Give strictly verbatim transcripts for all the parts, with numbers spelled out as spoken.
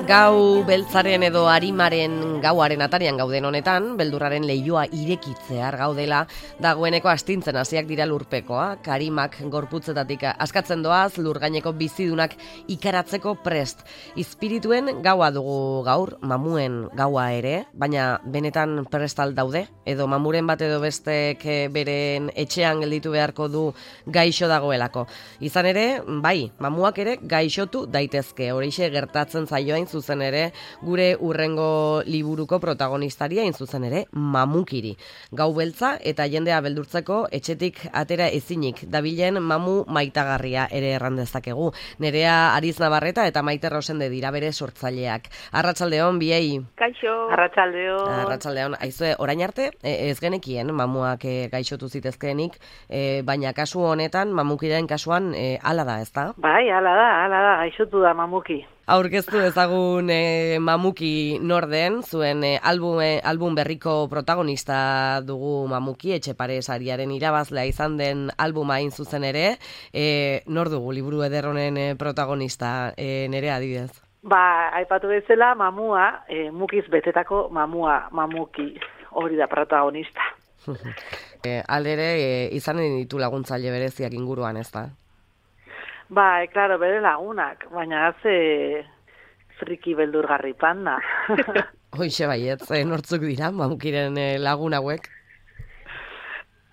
Gau beltzaren edo arimaren gauaren atarian gauden honetan, beldurraren leioa irekitzear gaudela, dagoeneko astintzen hasiak dira lurpekoak, arimak gorputzetatik askatzen doaz, lurgaineko bizidunak ikaratzeko prest. Izpirituen gaua dugu gaur, mamuen gaua ere, baina benetan prestal daude, edo mamuren bat edo bestek beren etxean gelditu beharko du gaixo dagoelako. Izan ere, bai, mamuak ere gaixotu daitezke, horixe gertatzen zaioain zuzen ere, gure urrengo liburuko protagonistari hain zuzen ere, mamukiri. Gau beltza eta jendea beldurtzeko etxetik atera ezinik dabilen mamu maitagarria ere errandezakegu. Nerea Ariz Navarreta eta Maite Rosende dira bere sortzaileak. Arratsaldeon biei. Kaixo. Arratsaldeon. Arratsaldeon. Aizue, orain arte ez genekien mamuak e, gaixotu zitezkeenik, e, baina kasu honetan mamukiren kasuan e, hala da, ezta? Bai, hala da, hala da, gaixotu da mamuki. Aurkeztu ezagun e, mamuki norden, zuen e, album, e, album berriko protagonista dugu mamuki, Etxepare sariaren irabazlea izan den albuma hain zuzen ere, e, nor dugu liburu ederronen e, protagonista, e, Nerea adibidez? Ba, aipatu bezala mamua, e, mukiz betetako mamua, mamuki, hori da protagonista. e, aldere, e, izanen ditu laguntzaile bereziak inguruan, ez da? Ba, e, klaro, bere lagunak, baina haze friki beldurgarri panda. Hoixe baietz, e, nortzuk dira, mamukiren e, lagun hauek?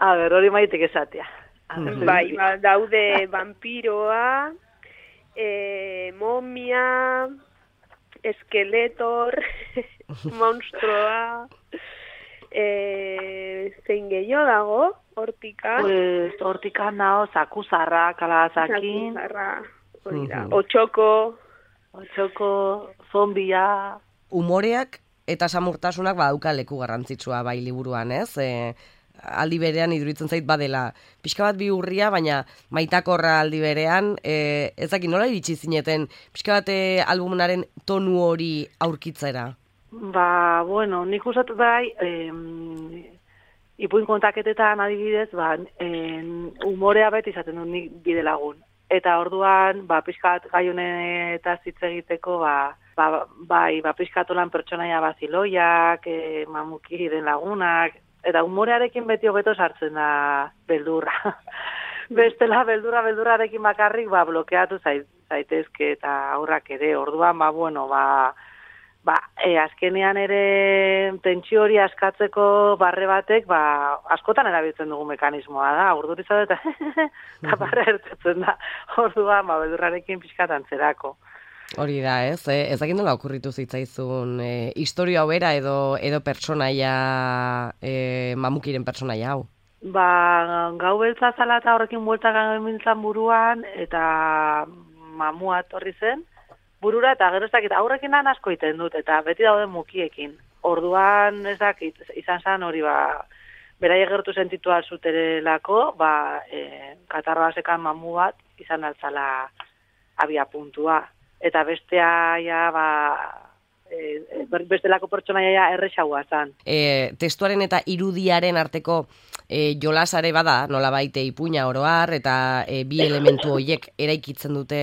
A ber, hori maitek esatea. Mm-hmm. Bai, ba, daude vampiroa, e, momia, eskeletor, monstroa, e, zein gehiago dago, hortika. Pues, hortika nao, zakuzarra, kalazakin. Zakuzarra, hori da. Otxoko. Otxoko, zombia. Humoreak eta samurtasunak badauka leku garrantzitsua bai liburuan, ez? E, aldi berean iduritzen zait badela pixka bat bihurria, baina maitakorra aldi berean, e, ezaki nola iritsi zineten pixka bat e, albumunaren tonu hori aurkitzera? Ba, bueno, nik usatu bai, em, ipuin kontaketetan adibidez, ba, en, humorea beti izaten dut nik bide lagun. Eta orduan, ba, pixkat gai honetaz hitz egiteko, ba, ba, bai, ba, pixkat olan pertsonaia baziloiak, e, mamukiren lagunak, eta humorearekin beti hobeto sartzen da beldurra. Bestela, beldurra, beldurrarekin bakarrik, ba, blokeatu zaitezke eta aurrak ere. Orduan, ba, bueno, ba, ba, e, azkenean ere tentsio hori askatzeko barre batek, ba, askotan erabiltzen dugu mekanismoa da, urduriza eta eta barre ertetzen da. Orduan, ba, beldurrarekin pixkat antzerako. Hori da, ez? E, ez dakit nola okurritu zitzaizun e, historia hobera edo, edo pertsonaia, e, mamukiren pertsonaia hau? Ba, gau beltza zala eta horrekin buelta gamintzan buruan, eta mamua etorri zen, burura eta gero ez dakit, aurrekin lan asko iten dut, eta beti daude mukiekin. Orduan ez dakit, izan zen hori ba, berai gertu sentitu alzuterelako, ba, e, katarroa sekan mamu bat, izan altzala abia puntua. Eta bestea, ja, ba, e, bestelako pertsonaia ja erresaua zen. E, testuaren eta irudiaren arteko e, jolasare bada, nola baite ipuina oroar, eta e, bi elementu horiek eraikitzen dute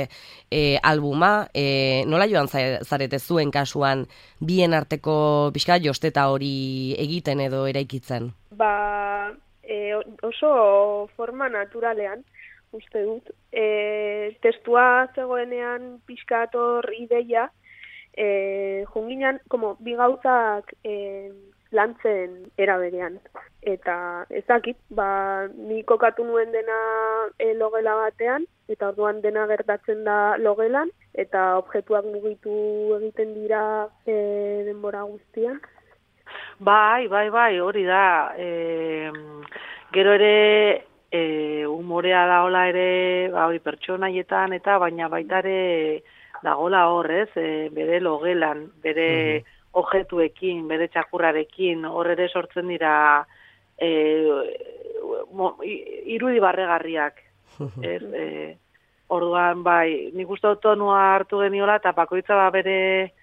e, albuma. E, nola joan zarete zuen kasuan bien arteko pixka josteta hori egiten edo eraikitzen? Ba, e, oso forma naturalean, uste dut. E, testua zegoenean pixkator ideia, e, junginan, como, bi gauzak e, lantzen eraberean. Eta ezakit, ba, ni kokatu nuen dena e, logela batean, eta orduan dena gertatzen da logelan, eta objektuak mugitu egiten dira e, denbora guztian. Bai, bai, bai, hori da. E, gero ere, E, humorea daola ere, ba, hori pertsonaietan eta baina baita ere dagola hor, ez? E, bere logelan, bere uh-huh. objetuekin, bere txakurrarekin, hor ere sortzen dira e, mo, irudi barregarriak. Uh-huh. Ez, e, orduan, bai, nik uste dut tonua hartu geniola eta bakoitza ba bere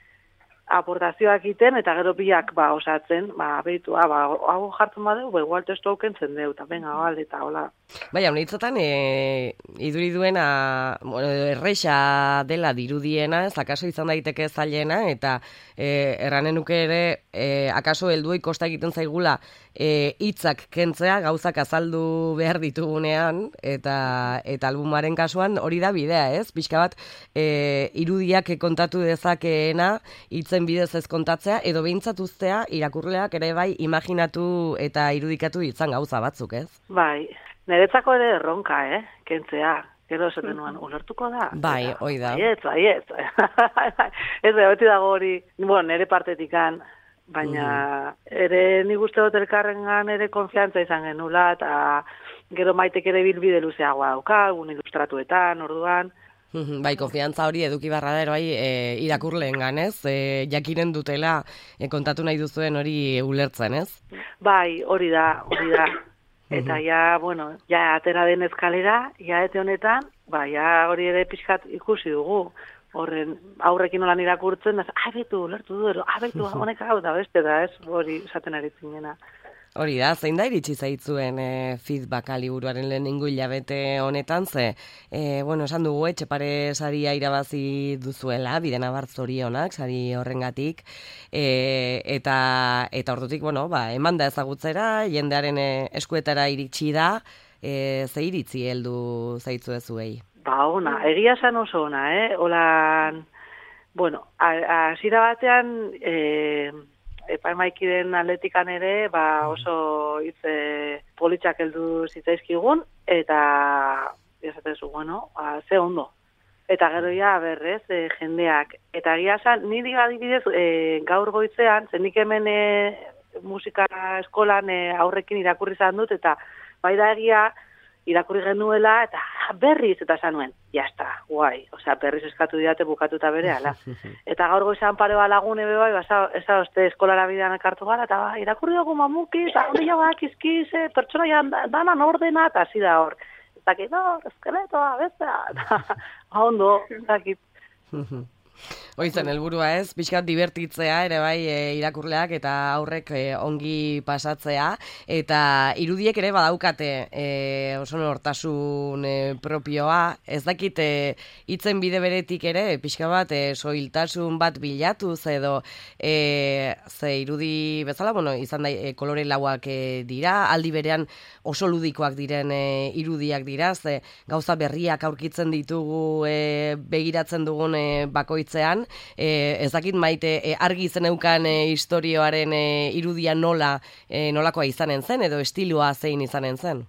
aportazioak iten, eta gero biak, ba, osatzen, ba, behitua, ba, hau jartzen badeu, ba, igual testu hauken zen deu, eta benga, gal, eta hola. Baina, honitzotan, e, iduri duena, bueno, erresa dela dirudiena, ez akaso izan daiteke zailena, eta e, erranen nuke ere, e, akaso helduei kosta egiten zaigula e, hitzak kentzea, gauzak azaldu behar ditugunean, eta eta albumaren kasuan hori da bidea, ez? Pixka bat, e, irudiak kontatu dezakeena, hitzen bidez ez kontatzea, edo behintzat uztea, irakurleak ere bai imaginatu eta irudikatu ditzan gauza batzuk, ez? Bai, niretzako ere erronka, eh, kentzea. Gero esaten nuen, ulertuko da? Bai, hoi da. Baiet, baiet. Ez da, beti dago hori, bueno, nire partetikan, baina ere nik uste dut elkarrengan ere konfiantza izan genula, eta gero maitek ere bilbide luzeagoa dauka, un ilustratuetan, orduan. Bai, konfiantza hori eduki barra da, bai, e, irakurleen ganez, e, jakiren dutela e, kontatu nahi duzuen hori ulertzen, ez? Bai, hori da, hori da. Eta ja, bueno, ja atera den eskalera, ja ete honetan, ba, ja hori ere pixkat ikusi dugu. Horren, aurrekin nolan irakurtzen, da, abetu, lertu du, abetu, honek hau da, beste da, ez, hori esaten ari zinena. Hori da, zein da iritsi zaitzuen e, feedbacka liburuaren lehenengo hilabete honetan, ze, e, bueno, esan dugu, Etxepare saria irabazi duzuela, Bidenabar zorionak, sari horrengatik, e, eta, eta ordutik, bueno, ba, eman da ezagutzera, jendearen e, eskuetara iritsi da, e, ze iritzi heldu zaitzu ezuei? Ba, ona, egia esan oso ona, eh? Olan, bueno, hasiera batean, eh, epaimaikiden atletikan ere, ba, oso hitze politxak heldu zitzaizkigun, eta, esatezu, bueno, ba, ze ondo. Eta gero ja, berrez, e, jendeak. Eta egia esan, niri adibidez, e, gaur goizean, zendik hemen e, musika eskolan e, aurrekin irakurri izan dut, eta bai da egia, irakurri genuela, eta berriz, eta esan nuen, jazta, guai, osea, berriz eskatu diate bukatuta bere, ala. Eta gaur goizan pare balagun ebe bai, ez da, oste eskolara bidean ekartu gara, eta ba, irakurri dugu mamuki, eta hori jau akizkiz, pertsona jan danan ordena, eta hasi da hor. Ez dakit, no, eskeletoa, bestea, eta ondo, ez dakit. Hoizen helburua ez, pixkat divertitzea ere bai e, irakurleak eta aurrek e, ongi pasatzea, eta irudiek ere badaukate e, oso nortasun e, propioa, ez dakit e, hitzen bide beretik ere, pixka bat e, soiltasun bat bilatuz edo e, ze irudi bezala, bueno, izan da e, kolore lauak e, dira, aldi berean oso ludikoak diren e, irudiak dira, ze gauza berriak aurkitzen ditugu e, begiratzen dugun e, bakoitzean. E, ez dakit Maite e, argi zeneukan e, istorioaren e, irudia nola e, nolakoa izanen zen edo estiloa zein izanen zen?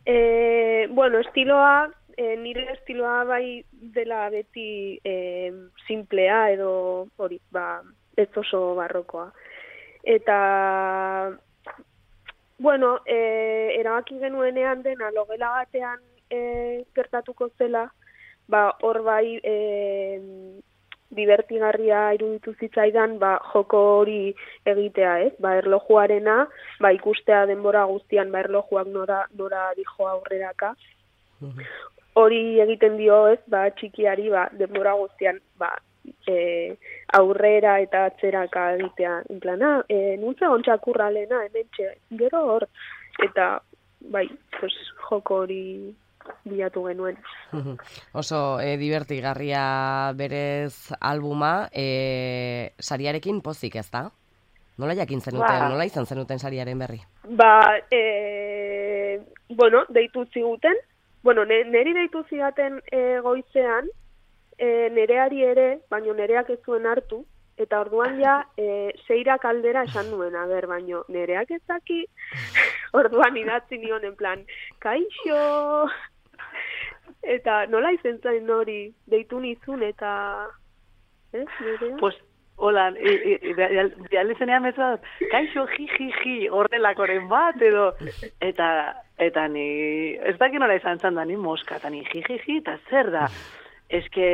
E, bueno, estiloa, e, nire estiloa bai dela beti e, simplea edo hori, ba, ez oso barrokoa. Eta, bueno, e, erabaki genuenean dena logela batean e, gertatuko zela, ba, hor bai e, divertigarria iruditu zitzaidan, ba, joko hori egitea, ez? Ba, erlojuarena, ba, ikustea denbora guztian, ba, erlojuak nora, nora dijo aurreraka. Hori egiten dio, ez? Ba, txikiari, ba, denbora guztian, ba, e, aurrera eta atzeraka egitea. En plana, e, nuntze ontsakurra lehena, hemen txe, gero hor. Eta, bai, pues, joko hori bilatu genuen. Oso e, divertigarria berez albuma, e, sariarekin pozik, ez da? Nola jakin zenuten, ba, nola izan zenuten sariaren berri? Ba, e, bueno, deitu ziguten, bueno, neri deitu zigaten e, goizean, e, nereari ere, baino nereak ez zuen hartu, eta orduan ja, e, seirak aldera esan nuen, a ber, baino nereak ez daki, orduan idatzi nion en plan, kaixo! Eta nola izen zain hori, deitu nizun eta... Ez, nerea? Pues, hola, idealizenean bezala, kaixo, ji, ji, ji, horrelakoren bat, edo... Eta, eta ni... Ez daki nola izan zan da, ni moska, eta ni ji, ji, ji, eta zer da? Ez que...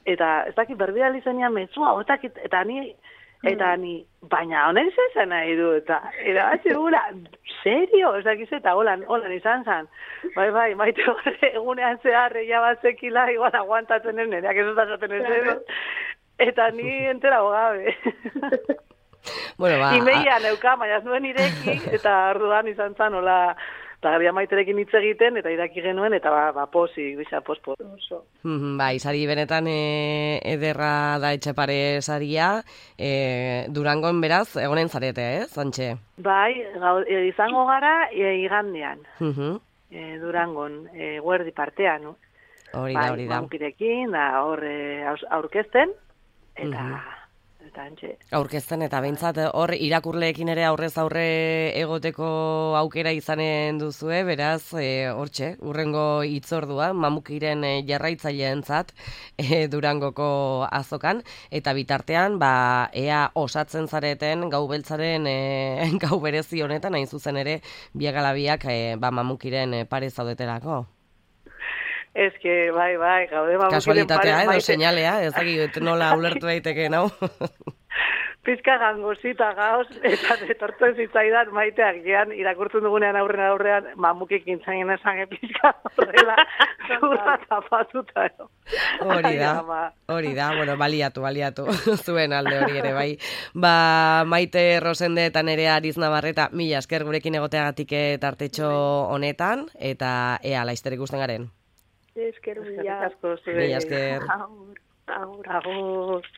Eta ez daki berbializenean mezua, eta ni... Eta ni, baina honek zezan nahi du, eta erabatzi gula, serio? Ez dakiz eta holan, holan izan zan. Bai, bai, maite horre egunean zehar, eia bat zekila, igual aguantatzen ez, nereak ez ezaten ez edo. eta ni entera gabe. Bueno, ba... Imeia neuka, baina ez nuen ireki, eta orduan izan zan, hola, eta gabia maiterekin hitz egiten, eta iraki genuen, eta ba, ba posi, bisa, pospo. Oso. Bai, sari benetan e, ederra da Etxepare saria, e, Durangon beraz, egonen zarete, eh, Santxe? Bai, gau, e, izango gara e, igandean, Uh-huh. e, Durangon, e, guerdi partean, no? Hori da, hori da. Bai, mamukirekin, da hor e, aurkezten, eta... Mhm. Eta antxe. Aurkezten eta behintzat hor irakurleekin ere aurrez aurre egoteko aukera izanen duzue, beraz, e, hortxe, urrengo hitzordua, Mamukiren e, jarraitzaileentzat e, Durangoko azokan, eta bitartean, ba, ea osatzen zareten gau beltzaren e, gau berezi honetan, hain zuzen ere, biagalabiak e, ba, Mamukiren e, pare zaudetelako. Ez que, bai, bai, gaude mamukiren Kasualitatea pare, edo maite. seinalea, ez dakit nola ulertu daiteke, nau? Pizka gangosita gauz, eta etortzen zitzaidan maiteak gean, irakurtzen dugunean aurren aurrean, mamukik intzaien esan pizka horrela, zurra tapatuta. Hori da, hori da, bueno, baliatu, baliatu, zuen alde hori ere, bai. Ba, Maite Rosende eta Nerea Ariz Navarreta, mila esker gurekin egoteagatik tartetxo honetan, eta ea, laizter ikusten garen. Esker, mila. Asko, Mila esker. Agur, agur. Agur.